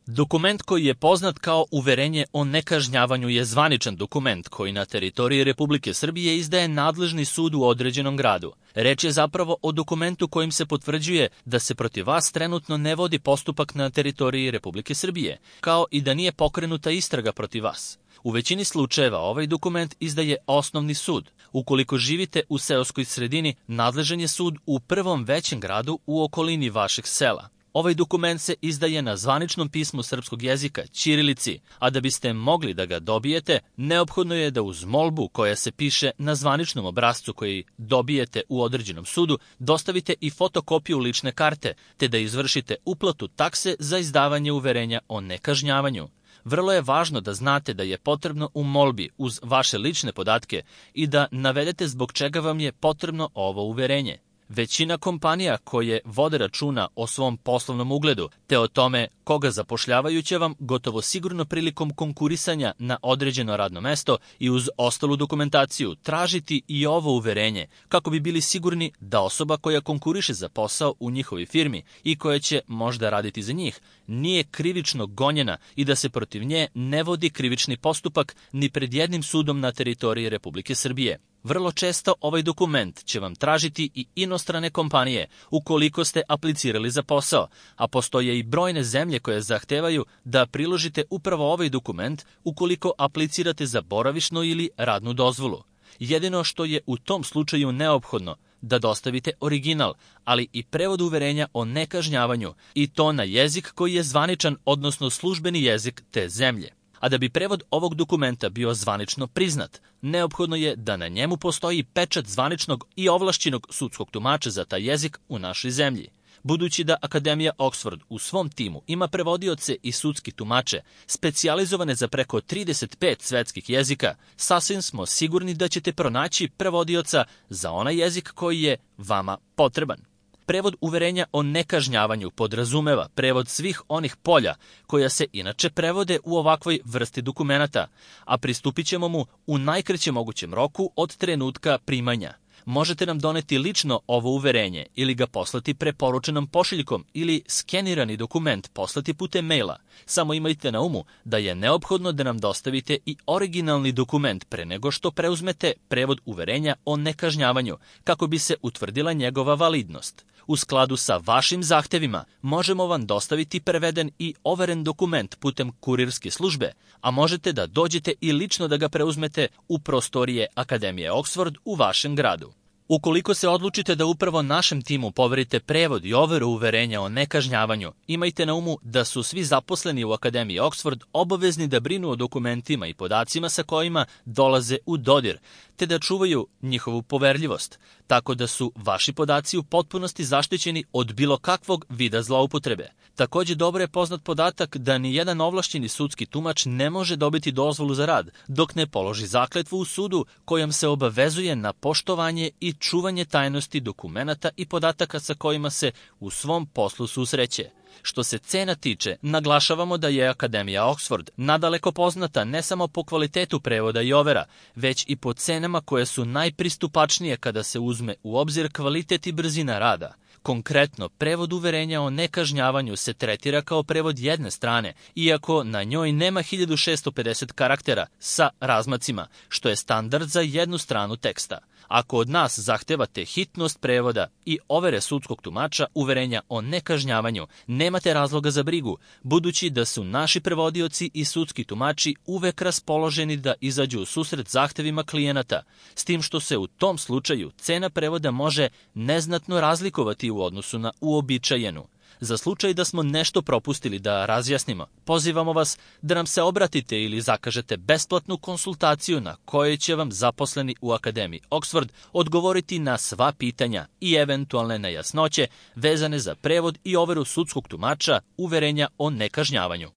Dokument koji je poznat kao uverenje o nekažnjavanju je zvaničan dokument koji na teritoriji Republike Srbije izdaje nadležni sud u određenom gradu. Reč je zapravo o dokumentu kojim se potvrđuje da se protiv vas trenutno ne vodi postupak na teritoriji Republike Srbije, kao i da nije pokrenuta istraga protiv vas. U većini slučajeva ovaj dokument izdaje osnovni sud. Ukoliko živite u seoskoj sredini, nadležan je sud u prvom većem gradu u okolini vašeg sela. Ovaj dokument se izdaje na zvaničnom pismu srpskog jezika, ćirilici, a da biste mogli da ga dobijete, neophodno je da uz molbu koja se piše na zvaničnom obrascu koji dobijete u određenom sudu, dostavite i fotokopiju lične karte, te da izvršite uplatu takse za izdavanje uverenja o nekažnjavanju. Vrlo je važno da znate da je potrebno u molbi uz vaše lične podatke i da navedete zbog čega vam je potrebno ovo uverenje. Većina kompanija koje vode računa o svom poslovnom ugledu te o tome koga zapošljavaju će vam gotovo sigurno prilikom konkurisanja na određeno radno mesto i uz ostalu dokumentaciju tražiti i ovo uverenje kako bi bili sigurni da osoba koja konkuriše za posao u njihovoj firmi i koja će možda raditi za njih nije krivično gonjena i da se protiv nje ne vodi krivični postupak ni pred jednim sudom na teritoriji Republike Srbije. Vrlo često ovaj dokument će vam tražiti i inostrane kompanije ukoliko ste aplicirali za posao, a postoje i brojne zemlje koje zahtevaju da priložite upravo ovaj dokument ukoliko aplicirate za boravišnu ili radnu dozvolu. Jedino što je u tom slučaju neophodno da dostavite original, ali i prevod uverenja o nekažnjavanju i to na jezik koji je zvaničan, odnosno službeni jezik te zemlje. A da bi prevod ovog dokumenta bio zvanično priznat, neophodno je da na njemu postoji pečat zvaničnog i ovlašćenog sudskog tumača za taj jezik u našoj zemlji. Budući da Akademija Oxford u svom timu ima prevodioce i sudski tumače, specijalizovane za preko 35 svetskih jezika, sasvim smo sigurni da ćete pronaći prevodioca za onaj jezik koji je vama potreban. Prevod uverenja o nekažnjavanju podrazumeva prevod svih onih polja koja se inače prevode u ovakvoj vrsti dokumenata, a pristupit ćemo mu u najkraćem mogućem roku od trenutka primanja. Možete nam doneti lično ovo uverenje ili ga poslati preporučenom pošiljkom ili skenirani dokument poslati putem maila. Samo imajte na umu da je neophodno da nam dostavite i originalni dokument pre nego što preuzmete prevod uverenja o nekažnjavanju kako bi se utvrdila njegova validnost. U skladu sa vašim zahtevima možemo vam dostaviti preveden i overen dokument putem kurirske službe, a možete da dođete i lično da ga preuzmete u prostorije Akademije Oxford u vašem gradu. Ukoliko se odlučite da upravo našem timu poverite prevod i overu uverenja o nekažnjavanju, imajte na umu da su svi zaposleni u Akademiji Oxford obavezni da brinu o dokumentima i podacima sa kojima dolaze u dodir, te da čuvaju njihovu poverljivost, tako da su vaši podaci u potpunosti zaštićeni od bilo kakvog vida zloupotrebe. Takođe, dobro je poznat podatak da ni jedan ovlašćeni sudski tumač ne može dobiti dozvolu za rad, dok ne položi zakletvu u sudu kojom se obavezuje na poštovanje i čuvanje tajnosti dokumenata i podataka sa kojima se u svom poslu susreće. Što se cena tiče, naglašavamo da je Akademija Oxford nadaleko poznata ne samo po kvalitetu prevoda i overa, već i po cenama koje su najpristupačnije kada se uzme u obzir kvalitet i brzina rada. Konkretno, prevod uverenja o nekažnjavanju se tretira kao prevod jedne strane, iako na njoj nema 1650 karaktera sa razmacima, što je standard za jednu stranu teksta. Ako od nas zahtevate hitnost prevoda i overe sudskog tumača uverenja o nekažnjavanju, nemate razloga za brigu, budući da su naši prevodioci i sudski tumači uvek raspoloženi da izađu u susret zahtevima klijenata, s tim što se u tom slučaju cena prevoda može neznatno razlikovati u odnosu na uobičajenu. Za slučaj da smo nešto propustili da razjasnimo, pozivamo vas da nam se obratite ili zakažete besplatnu konsultaciju na kojoj će vam zaposleni u Akademiji Oxford odgovoriti na sva pitanja i eventualne nejasnoće vezane za prevod i overu sudskog tumača uverenja o nekažnjavanju.